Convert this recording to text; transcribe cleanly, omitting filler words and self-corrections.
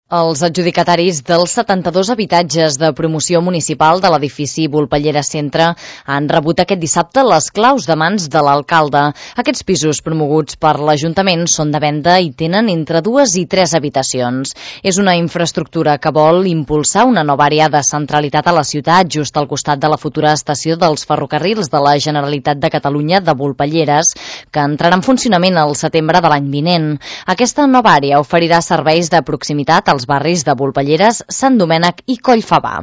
Els adjudicataris dels 72 habitatges de promoció municipal de l'edifici Volpellera Centre han rebut aquest dissabte les claus de mans de l'alcalde. Aquests pisos promoguts per l'Ajuntament són de venda i tenen entre 2 i 3 habitacions. És una infraestructura que vol impulsar una nova àrea de centralitat a la ciutat, just al costat de la futura estació dels ferrocarrils de la Generalitat de Catalunya de Volpelleres, que entrarà en funcionament al setembre de l'any vinent. Aquesta nova àrea oferirà serveis de proximitat als barris de Volpelleres, Sant Domènec i Collfabà.